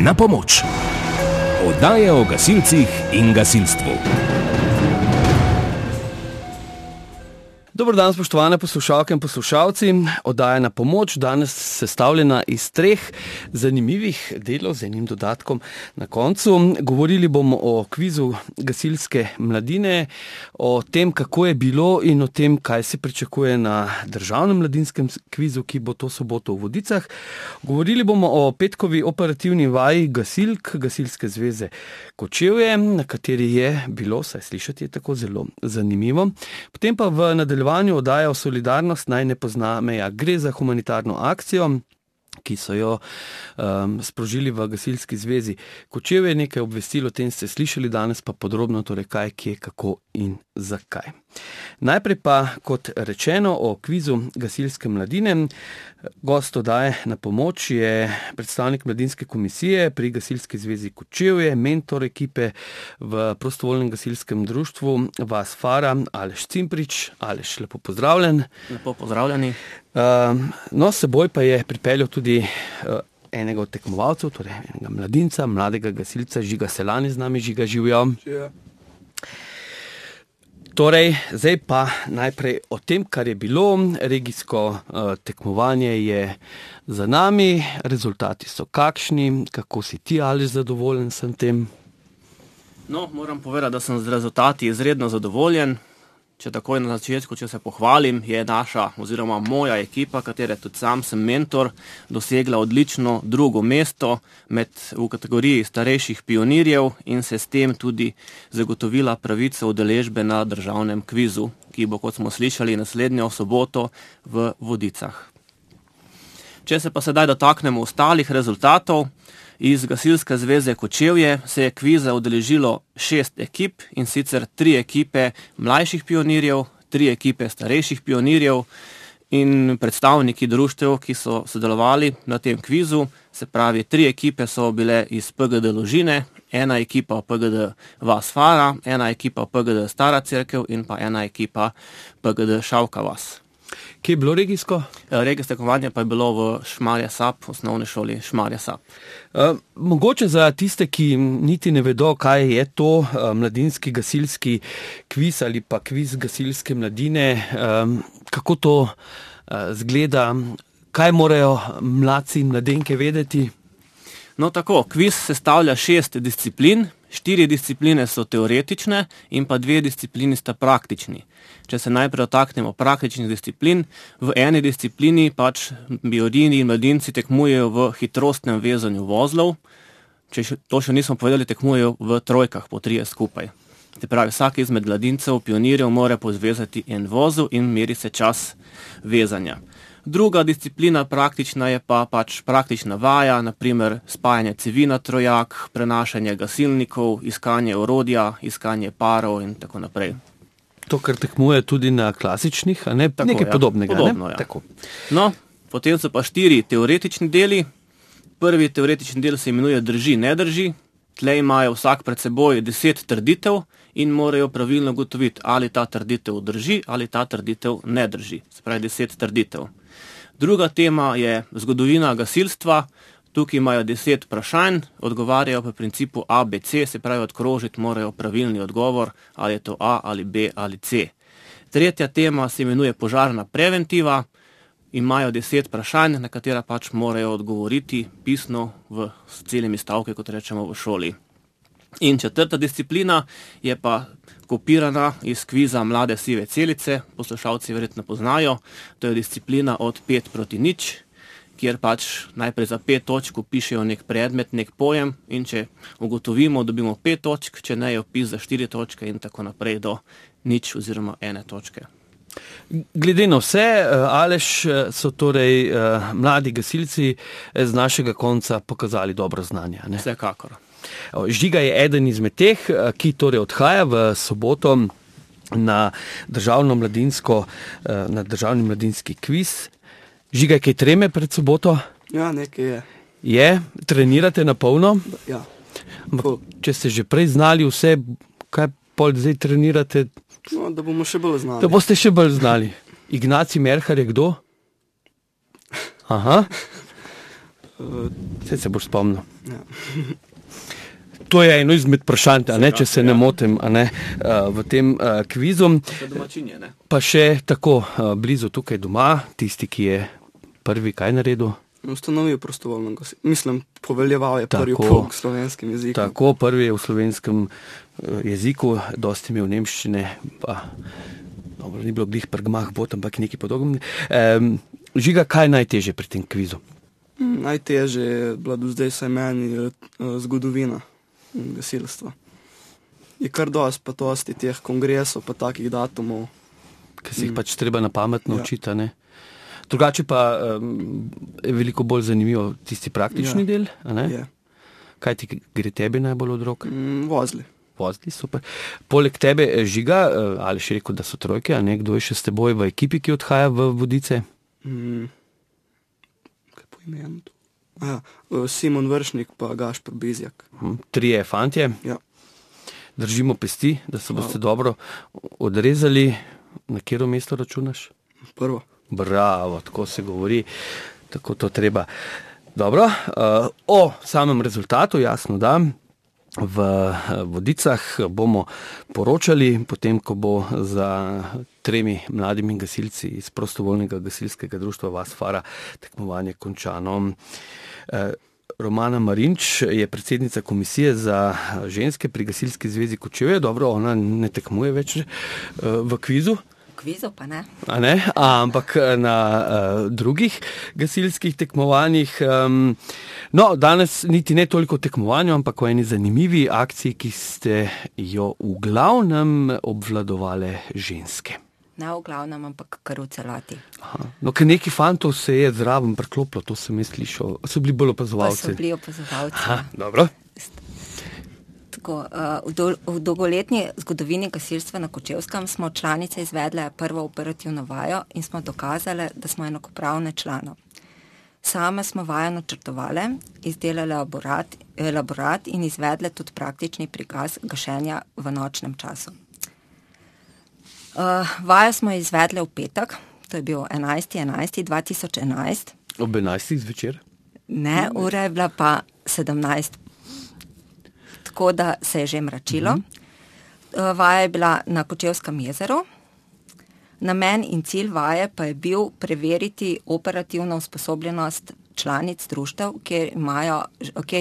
Na pomoč. Oddaja o gasilcih in gasilstvu. Dober dan, spoštovane poslušalke in poslušalci. Oddaja Na pomoč, danes sestavljena iz 3 zanimivih delov z enim dodatkom na koncu. Govorili bomo o kvizu gasilske mladine, o tem, kako je bilo in o tem, kaj se pričakuje na državnem mladinskem kvizu, ki bo to soboto v Vodicah. Govorili bomo o petkovi operativni vaji gasilk Gasilske zveze Kočevje, na kateri je bilo, saj slišati je tako zelo zanimivo. Potem pa v nadaljevanju oddaja o solidarnost naj ne pozna meja. Gre za humanitarno akcijo, ki so jo sprožili v Gasilski zvezi Kočevje. Nekaj obvestil o tem ste slišali, danes pa podrobno, torej kaj, kje, kako in zakaj. Najprej pa, kot rečeno, o kvizu gasilske mladine. Gost oddaje Na pomoč je predstavnik mladinske komisije pri Gasilski zvezi Kočevje, mentor ekipe v prostovoljnem gasilskem društvu Vas Fara, Aleš Cimprič. Aleš, lepo pozdravljen. Lepo pozdravljeni. No, s seboj pa je pripeljal tudi enega od tekmovalcev, torej enega mladinca, mladega gasilca, Žiga Selani z nami. Žiga, živijo. Torej, zdaj pa najprej o tem, kar je bilo. Regijsko tekmovanje je za nami, rezultati so kakšni, kako si ti, Aleš, zadovoljen sem tem? No, moram povedati, da sem z rezultati izredno zadovoljen. Če takoj na začetku, če se pohvalim, je naša oziroma moja ekipa, katere tudi sam sem mentor, dosegla odlično 2. mesto v kategoriji starejših pionirjev in se s tem tudi zagotovila pravico udeležbe na državnem kvizu, ki bo, kot smo slišali, naslednjo soboto v Vodicah. Če se pa sedaj dotaknemo ostalih rezultatov, iz Gasilske zveze Kočevje se je kviza udeležilo 6 ekip, in sicer 3 ekipe mlajših pionirjev, 3 ekipe starejših pionirjev in predstavniki društev, ki so sodelovali na tem kvizu. Se pravi, 3 ekipe so bile iz PGD Ložine, 1 ekipa PGD Vas Fara, 1 ekipa PGD Stara Cerkev in pa 1 ekipa PGD Šavka Vas. Kje je bilo regijsko? Regijsko tekmovanje pa je bilo v Šmarje Sap, osnovni šoli Šmarje Sap. Mogoče za tiste, ki niti ne vedo, kaj je to mladinski gasilski kviz ali pa kviz gasilske mladine, kako to zgleda, kaj morajo mladci in mladenke vedeti? No tako, kviz sestavlja 6 disciplin, 4 discipline so teoretične in pa 2 disciplini sta praktični. Če se najprej dotaknemo praktičnih disciplin, v eni disciplini pač pionirji in mladinci tekmujejo v hitrostnem vezanju vozlov. Če to še nismo povedali, tekmujejo v trojkah, po 3 skupaj. Se pravi, vsak izmed mladincev, pionirjev mora pozvezati en vozel in meri se čas vezanja. Druga disciplina praktična je pa pač praktična vaja, naprimer spajanje cevi na trojak, prenašanje gasilnikov, iskanje orodja, iskanje parov in tako naprej. To, kar tekmuje tudi na klasičnih, a ne? Tako, nekaj podobnega. Podobno, ne? Ja. Tako. No, potem so pa 4 teoretični deli. Prvi teoretični del se imenuje drži, ne drži. Tlej imajo vsak pred seboj 10 trditev in morajo pravilno ugotoviti, ali ta trditev drži ali ta trditev ne drži. Se pravi 10 trditev. Druga tema je zgodovina gasilstva. Tukaj imajo 10 vprašanj, odgovarjajo po principu A, B, C, se pravi odkrožiti morajo pravilni odgovor, ali je to A ali B ali C. Tretja tema se imenuje požarna preventiva. Imajo 10 vprašanj, na katera pač morajo odgovoriti pisno s celimi stavki, kot rečemo v šoli. In četrta disciplina je pa kopirana iz kviza Mlade sive celice, poslušalci verjetno poznajo. To je disciplina od 5 proti 0, kjer pač najprej za 5 točk pišejo nek predmet, nek pojem, in če ugotovimo, dobimo 5 točk, če ne je opis za 4 točke in tako naprej do 0 oziroma 1 točke. Glede na vse, Aleš, so torej mladi gasilci z našega konca pokazali dobro znanje, ne? Vsekakor. Žiga je eden izmed teh, ki torej odhaja v soboto na državni mladinski kviz. Žiga, kaj treme pred soboto? Ja, nekaj je. Je? Trenirate na polno? Ja. Če ste že prej znali vse, kaj pol zdaj trenirate? No, da bomo še bolj znali. Da boste še bolj znali. Ignacij Merhar je kdo? Aha. Saj se boš spomnil. Ja. To je eno izmed vprašanj, a ne, če se ne motim, a ne, v tem kvizu. To je domačinje, ne? Pa še tako blizu tukaj doma, tisti, ki je prvi kaj naredil. Ustanovil prostovoljno gasilstvo. Mislim, poveljeval je prvi Tako. pouk slovenskim jezikom. Tako, prvi je v slovenskem jeziku, dosti imel nemščine, pa dobro, ni bilo glih prgmah bot, ampak nekaj podobnega. Žiga, kaj je najtežje pri tem kvizu? Najtežje je bila do zdaj saj meni zgodovina gasilstva. Je kar dosti teh kongresov, pa takih datumov. Ker si jih pač treba na pamet naučiti, a ne? Drugače pa je veliko bolj zanimivo tisti praktični del, a ne? Je. Kaj ti gre tebi najbolj od rok? Vozili. Vozili, super. Poleg tebe, Žiga, ali še rekel, da so trojke, a ne? Kdo je še s teboj v ekipi, ki odhaja v Vodice? Kaj po imenu to? Simon Vršnik pa Gašper Bizjak. Trije fantje. Ja. Držimo pesti, da se boste dobro odrezali. Na katero mesto računaš? Prvo. Bravo, tako se govori, tako to treba. Dobro, o samem rezultatu, jasno da, v Vodicah bomo poročali, potem, ko bo za 3 mladimi gasilci iz prostovoljnega gasilskega društva Vasfara tekmovanje končano. Romana Marinč je predsednica komisije za ženske pri Gasilski zvezi Kočevje. Dobro, ona ne tekmuje več v kvizu. Kvizu pa ne. A ne? Ampak na drugih gasilskih tekmovanjih. No, danes niti ne toliko o tekmovanju, ampak o eni zanimivi akciji, ki ste jo v glavnem obvladovale ženske. Ne v glavnem, ampak kar v celoti. Aha. No, ker neki fantov se je zraven priklopilo, to sem jaz slišal. So bili bolj Pa opazovalci. so bili opazovalci. Aha, dobro. Tako, v dolgoletni zgodovini gasilstva na Kočevskem smo članice izvedle prvo operativno vajo in smo dokazali, da smo enakopravne članov. Same smo vajo načrtovale, izdelale elaborat in izvedle tudi praktični prikaz gašenja v nočnem času. Vajo smo izvedle v petek, to je bil 11.11.2011. Ob 11. zvečer. Ne, ura je bila pa 17. Tako da se je že mračilo. Vaja je bila na Kočevskem jezeru. Namen in cilj vaje pa je bil preveriti operativno usposobljenost članic društev, kjer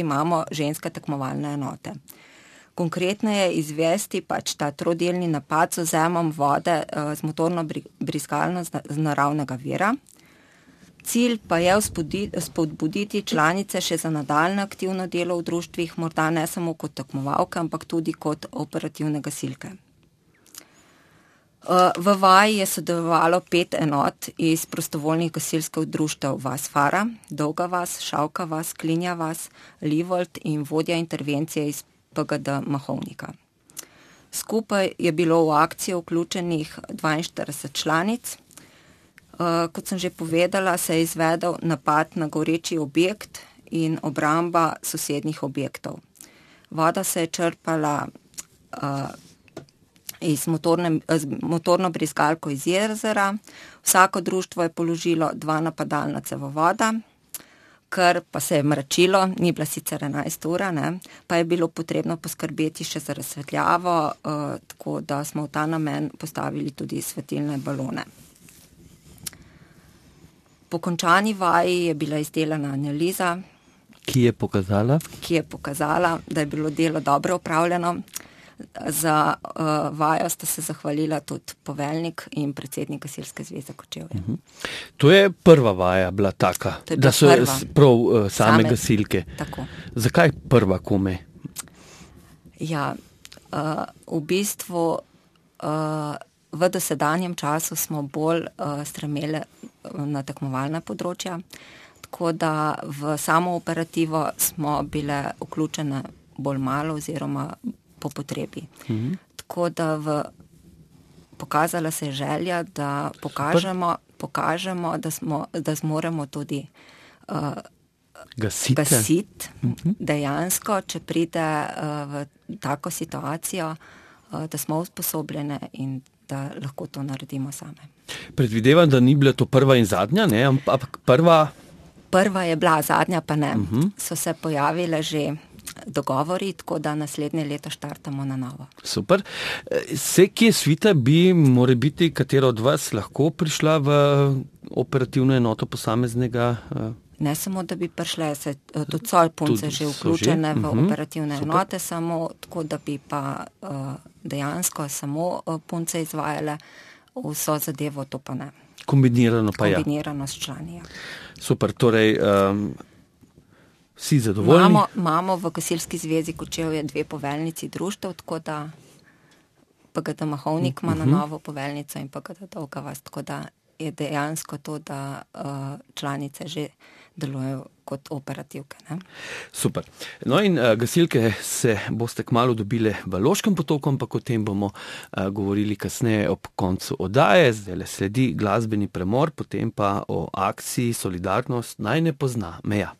imamo ženske tekmovalne enote. Konkretno je izvesti pač ta trodelni napad z vzemom vode z motorno brizgalno z naravnega vira. Cilj pa je spodbuditi članice še za nadaljne aktivno delo v društvih, morda ne samo kot tekmovalke, ampak tudi kot operativne gasilke. V vaji je sodelovalo 5 enot iz prostovoljnih gasilskih društev Vasfara, Dolga vas, Šavka vas, Klinja vas, Livold in vodja intervencije iz PGD Mahovnika. Skupaj je bilo v akcijo vključenih 42 članic. Kot sem že povedala, se je izvedel napad na goreči objekt in obramba sosednjih objektov. Voda se je črpala z motorno brizgalko iz jezera. Vsako društvo je položilo 2 napadalna cevovoda, ker pa se je mračilo, ni bila sicer 11 ura, ne, pa je bilo potrebno poskrbeti še za razsvetljavo, tako da smo v ta namen postavili tudi svetilne balone. Po končani vaji je bila izdelana analiza, Ki je pokazala? Da je bilo delo dobro opravljeno. Za vajo sta se zahvalila tudi poveljnik in predsednik Gasilske zveze Kočevje. To je prva vaja bila taka, To je bila da so prva. prav same gasilke. Tako. Zakaj prva kome? Ja, v bistvu v dosedanjem času smo bolj stremeli na tekmovalna področja, tako da v samo operativo smo bile vključene bolj malo oziroma po potrebi. Tako da pokazala se je želja, da pokažemo, da zmoremo tudi gasiti dejansko, če pride v tako situacijo, da smo usposobljene in da lahko to naredimo same. Predvidevam, da ni bila to prva in zadnja, ne? Ampak prva Prva je bila, zadnja pa ne. So se pojavile že dogovori, tako da naslednje leto štartamo na novo. Super. Se kje svita bi, more biti, katera od vas lahko prišla v operativno enoto posameznega? Ne samo, da bi prišle, se tudi so punce že vključene v operativne enote, samo tako, da bi pa dejansko samo punce izvajale vso zadevo, to pa ne. Kombinirano pa Kombinirano s člani, ja. Super, torej vsi zadovoljni? Imamo v Gasilski zvezi Kočevje 2 poveljnici društev, tako da PGD Mahovnik ima na novo poveljnico in PGD Dolga vas, tako da je dejansko to, da članice že delujejo kot operativke. Ne? Super. No in gasilke se boste kmalu dobile v Loškem Potoku, ampak o tem bomo govorili kasneje ob koncu oddaje. Zdaj sledi glasbeni premor, potem pa o akciji Solidarnost naj ne pozna meja.